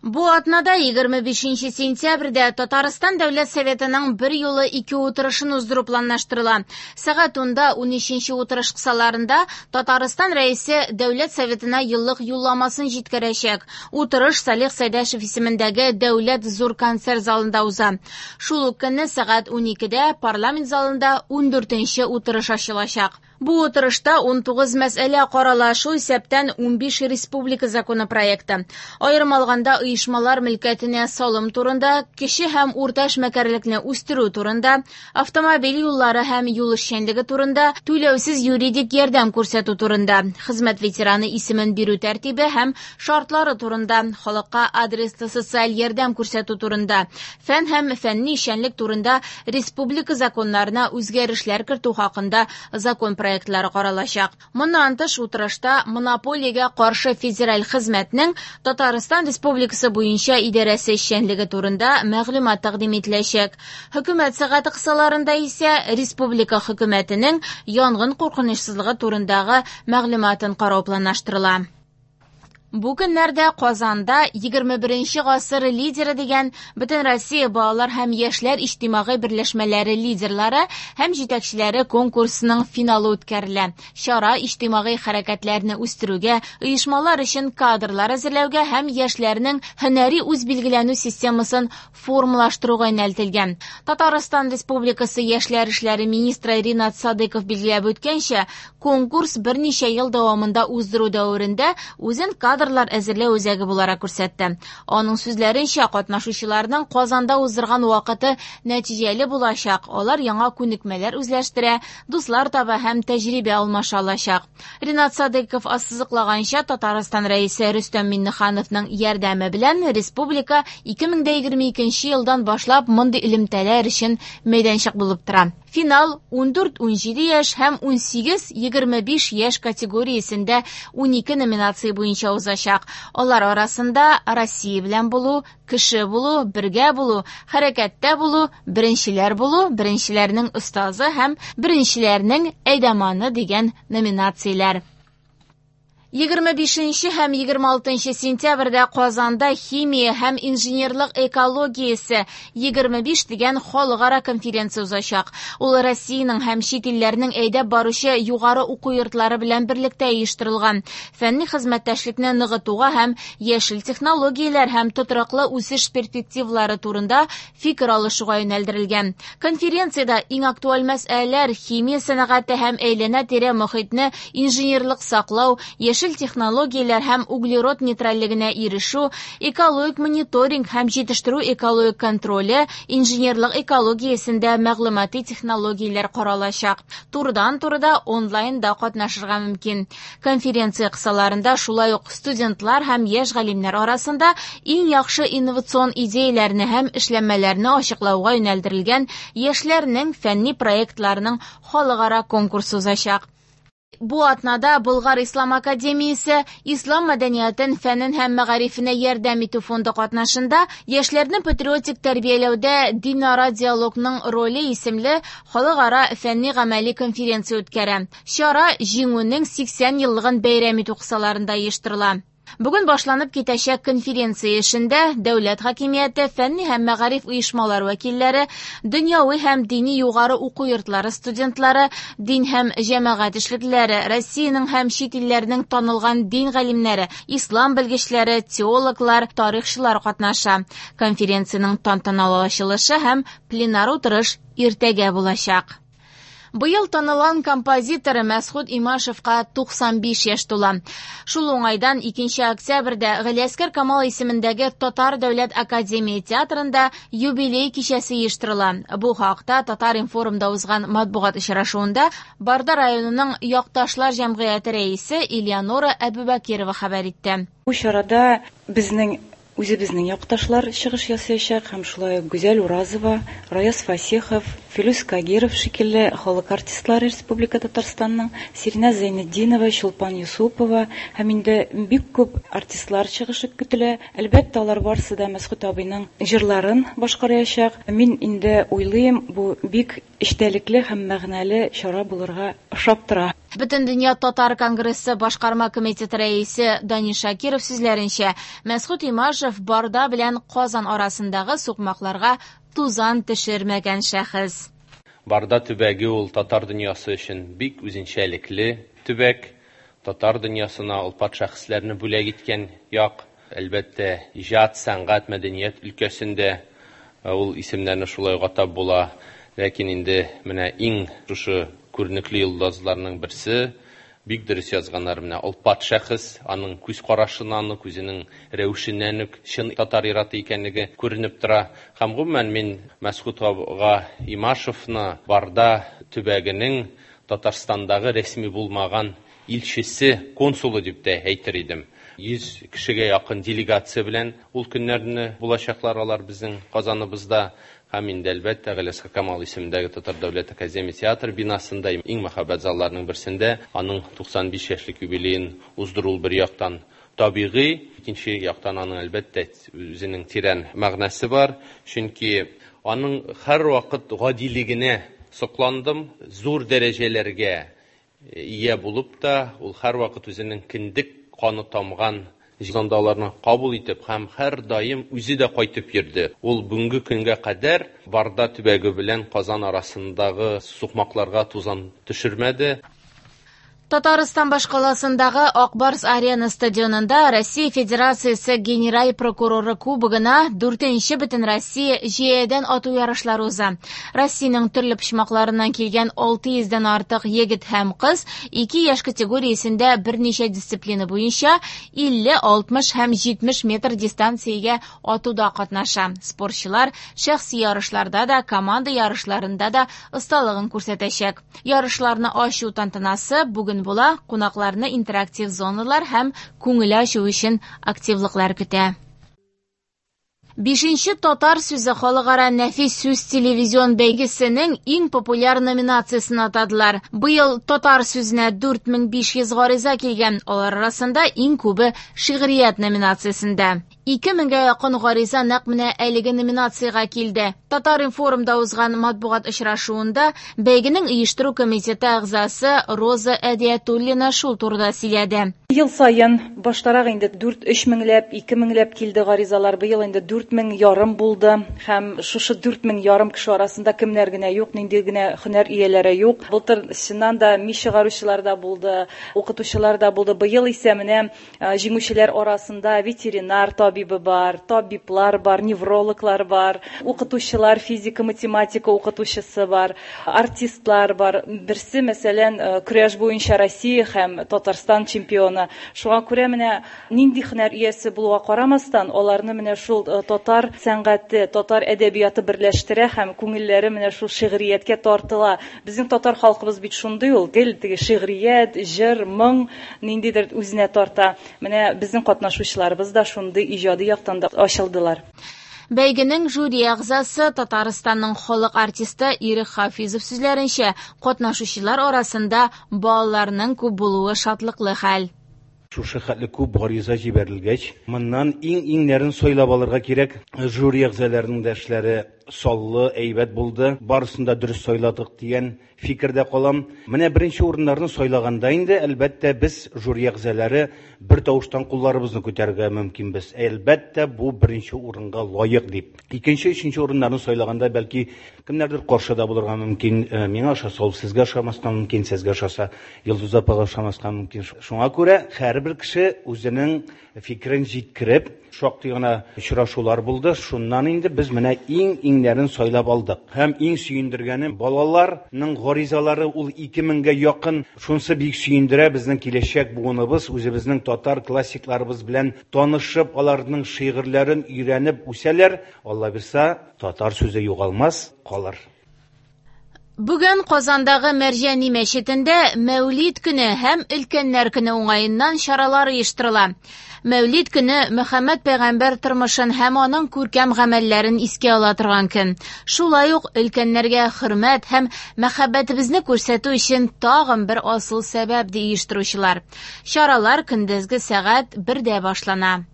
Бу атнада 25 сентябрьдә Татарстан Дәүләт Советының бер юлы ике утырышын уздыру планлаштырыла. Сәгать 10-да 13 утырыш кысаларында Татарстан Рәисе Дәүләт Советына еллык юлламасын җиткерәчәк. Утырыш Салих Сәйдәшев исемендәге Дәүләт зур концерт залында уза. Шул ук көнне сәгать 12-дә парламент залында 14 утырыш ачылачак. Бу утырышта 19 мәсьәлә карала, шул исәптән 15 республика законопроекты. Аерым алганда, оешмалар мөлкәтенә салым турында, кече һәм урта эшмәкәрлекне үстерү турында, автомобиль юллары һәм юл эшчәнлеге турында, түләүсез юридик ярдәм күрсәтү турында, хезмәт ветераны исемен бирү тәртибе һәм шартлары турында, халыкка адреслы социаль ярдәм күрсәтү турында, фән һәм фәнни эшчәнлек турында республика законнарына үзгәрешләр кертү хакында закон проектлары каралачак. Моннан тыш, утырышта монополиягә каршы федераль хезмәтнең Татарстан Республикасы буенча идарәсе эшчәнлеге турында мәгълүмат тәкъдим ителәчәк. Хөкүмәт сәгате кысаларында исә республика хөкүмәтенең янгын куркынычсызлыгы турындагы мәгълүматын карау планлаштырыла. Бу көннәрдә Казанда 21 гасыр лидеры дигән Бөтенроссия балалар һәм яшьләр иҗтимагый берләшмәләре лидерлары һәм җитәкчеләре конкурсының финалы үткәрелә. Чара иҗтимагый хәрәкәтләрне үстерүгә, оешмалар өчен кадрлар әзерләүгә һәм яшьләрнең һөнәри үзбилгеләнү системасын формалаштыруга юнәлтелгән. Татарстан Республикасы яшьләр эшләре министры Ринат Садыков билгеләп үткәнчә, конкурс берничә ел дәвамында уздыру дәверендә үзен кадрлар әзерләү үзәге буларак күрсәтте. Аның сүзләренчә, катнашучыларның Казанда уздырган вакыты нәтиҗәле булачак. Алар яңа күнекмәләр үзләштерә, дуслар таба һәм тәҗрибә алмаша алачак. Ринат Садыков ассызыклаганча, Татарстан Рәисе Рөстәм Миңнехановның ярдәме белән республика 2022 елдан башлап мондый элемтәләр өчен мәйданчык булып тора. Финал 14-17 яшь һәм 18-25 яшь категориясендә 12 номинация буенча узачак. Алар арасында Россия белән булу, кеше булу, бергә булу, хәрәкәттә булу, беренчеләр булу, беренчеләрнең остазы һәм беренчеләрнең әйдаманы дигән номинацияләр. 25 һәм 26 сентябрьдә Казанда химия һәм инженерлык экологиясе 25 дигән халыкара конференция узачак. Ул Россиянең һәм чит илләрнең әйдәп баручы югары уку йортлары белән берлектә оештырылган. Фәнни хезмәттәшлекне ныгытуга һәм яшел технологияләр һәм тотрыклы үсеш перспективалары турында фикер алышуга юнәлдерелгән. Конференциядә иң актуаль мәсьәләләр химия сәнәгате һәм әйләнә-тирә мохитне инженерлык саклау, яшел технологияләр һәм углерод нейтральлегенә ирешү, экологик мониторинг һәм җитештерү экологик контроле, инженерлык экологиясендә мәгълүмати технологияләр каралачак. Турыдан-турыда онлайнда катнашырга мөмкин. Конференция кысаларында шулай ук студентлар һәм яшь галимнәр арасында иң яхшы инновацион идеяләрне һәм эшләнмәләрне ачыклауга юнәлдерелгән яшьләрнең фәнни проектларының халыкара конкурсы узачак. Бу атнада Болгар Ислам академиясе Ислам мәдәниятен, фәнен һәм мәгарифенә ярдәм итү фонды катнашында яшьләрне патриотик тәрбияләүдә динара диалогның роле исемле халыкара фәнни-гамәли конференция үткәрә. Чара Җиңүнең 80 еллыгын бәйрәм итү кысаларында оештырыла. Бүген башланып китәчәк конференция эшендә дәүләт хакимияте, фәнни һәм мәгариф оешмалар вәкилләре, дөньяви һәм дини югары уку йортлары студентлары, дин һәм җәмәгать эшлеклеләре, Россиянең һәм чит илләрнең танылган дин галимнәре, ислам белгечләре, теологлар, тарихчылар катнаша. Конференциянең тантаналы ачылышы һәм пленар утырыш иртәгә булачак. Быел танылган композитор Мәсхүт Имашевка 95 яшь тула. Шул уңайдан 2 октябрьдә Галиәсгар Камал исемендәге Татар дәүләт академия театрында юбилей кичәсе оештырыла. Бу хакта Татар-информда узган матбугат очрашуында Барда районының Якташлар җәмгыяте рәисе Элеонора Әбүбәкирова хәбәр итте. Бу чарада безнең үзебезнең якташлар чыгыш ясаячак һәм шулай ук Гүзәл Уразова, Раяз Фасихов, Филүс Кагиров шикелле халык артистлары Республика Татарстанның, Сиринә Зәйнетдинова, Чулпан Юсупова һәм инде бик күп артистлар чыгышы көтелә. Әлбәттә, алар барысы да Мәсхүт абыйның җырларын башкараячак. Мин инде уйлыйм, бу бик эчтәлекле һәм мәгънәле чара булырга ошап тора. Бөтендөнья татар конгрессы башкарма комитеты рәисе Данис Шакиров сүзләренчә, Мәсгут Имашев Барда белән Казан арасындагы сукмакларга тузан төшермәгән шәхес. Барда төбәге ул татар дөньясы өчен бик үзенчәлекле төбәк. Татар дөньясына олпат шәхесләрне бүләк иткән як. Әлбәттә, иҗат, сәнгать, мәдәният өлкәсендә ул исемнәрне шулай ук атап була. Ләкин инде менә иң шушы күренекле йолдызларның берсе, бик дөрес язганнар, менә олпат шәхес, аның күз карашыннан ук, үзенең рәвешеннән үк чын татар ир-аты икәнлеге күренеп тора. Һәм гомумән мин Мәсгут ага Имашевны Барда төбәгенең Татарстандагы рәсми булмаган илчесе, консулы дип тә әйтер идем. 100 кешегә якын делегация белән ул көннәрне булачаклар алар безнең Казаныбызда. Һәм инде, әлбәттә, Галиәсгар Камал исемендәге Татар дәүләт академия театры бинасында иң мәһабәт залларның берсендә аның 95 яшьлек юбилеен уздыру бер яктан табигый, икенче яктан аның, әлбәттә, үзенең тирән мәгънәсе бар, чөнки аның һәрвакыт гадилегенә сокландым, зур дәрәҗәләргә ия булып та, ул һәрвакыт үзенең кендек каны тамган җанда аларны кабул итеп һәм һәрдаим үзе дә кайтып йөрде. Ул бүгенге көнгә кадәр Барда төбәге белән Казан арасындагы сукмакларга тузан төшермәде. Татарстан башкаласындагы Ак Барс Арена стадионында Россия Федерациясе Генераль прокуроры кубогына 4нче Бөтенроссия җәядән ату ярышлары уза. Россиянең төрле почмакларыннан килгән 600дән артык егет һәм кыз ике яшь категориясендә берничә дисциплина буенча 50, 60 һәм 70 метр дистанциягә атуда катнаша. Спортчылар шәхси ярышларда да, команда ярышларында да осталыгын күрсәтәчәк. Ярышларны ачу тантанасы бүген була, кунакларны интерактив зоналар һәм күңел ачу өчен активлыклар көтә. 5нче татар сүзе халыкара нәфис сүз телевизион бәйгесенең иң популяр номинациясен атадылар. Быел татар сүзенә 4500 гариза килгән, алар арасында иң күбе шигърият номинациясендә. 2000гә якын гариза нәкъ менә әлеге номинациягә килде. Татар-информда узган матбугат очрашуында бәйгенең оештыру комитеты әгъзасы Роза Әдиятуллина шул турыда сөйләде. Ел саен баштарак инде 4-3 меңләп, 2 меңләп килде гаризалар. Быел инде 4,5 булды. Һәм шушы 4,5 кеше арасында кемнәр генә юк, нинди генә һөнәр ияләре юк. Былтыр чыннан да мич чыгаручылар да булды, укытучылар да булды. Быел исә менә җиңүчеләр арасында ветеринар табибы бар, табиблар бар, неврологлар бар, укытучылар, физика, математика укытучысы бар, артистлар бар. Берсе, мәсәлән, көрәш буенча Россия һәм Татарстан чемпионы. Шуңа күрә менә нинди һөнәр иясе булуга карамастан, аларны менә шул татар сәнгате, татар әдәбияты берләштерә һәм күңелләре менә шул шигърияткә тартыла. Безнең татар халкыбыз бит шундый ул, гел теге шигърият, җыр, моң ниндидер үзенә тарта. Менә безнең катнашучыларыбыз да шундый иҗади яктан да ачылдылар. Бәйгенең жюри әгъзасы Татарстанның халык артисты Ирек Хафизов сүзләренчә, катнашучылар арасында балаларның күп булуы шатлыклы хәл. Шушы хәтле күп гариза җибәрелгәч, моннан иң-иңнәрен сайлап алырга кирәк. Жюри әгъзаларының да эшләре саллы, әйбәт булды. Барысын да дөрес сайладык дигән фикердә калам. Менә беренче урыннарны сайлаганда инде, әлбәттә, без жюри әгъзалары бер тавыштан кулларыбызны күтәрергә мөмкинбез. Әлбәттә, бу беренче урынга лаек дип. Икенче, өченче урыннарны сайлаганда бәлки кемнәрдер каршы да булырга мөмкин. Миңа ошаса, ул сезгә ошамаска мөмкин, сезгә ошаса, Йолдыз апага ошамаска мөмкин. Шуңа күрә һәрбер кеше үзенең фикерен җиткереп, шактый гына очрашулар булды. Шуннан инде без менә иң-иңнәрен сайлап алдык. Һәм иң сөендергәне балаларның гаризалары ул 2000гә якын. Шунысы бик сөендерә, безнең киләчәк буыныбыз үзебезнең татар классикларыбыз белән танышып, аларның шигырьләрен өйрәнеп үсәләр. Алла бирса, татар сүзе югалмас, калыр. Бүген Казандагы Мәрҗани мәчетендә Мәүлид көне һәм Өлкәннәр көне уңаеннан чаралар оештырыла. Мәүлид көне Мөхәммәд пәйгамбәр тормышын һәм аның күркәм гамәлләрен искә ала торган көн. Шулай ук өлкәннәргә хөрмәт һәм мәхәббәтебезне күрсәтү өчен тагын бер асыл сәбәп ди оештыручылар. Чаралар көндезге сәгать 1дә башлана.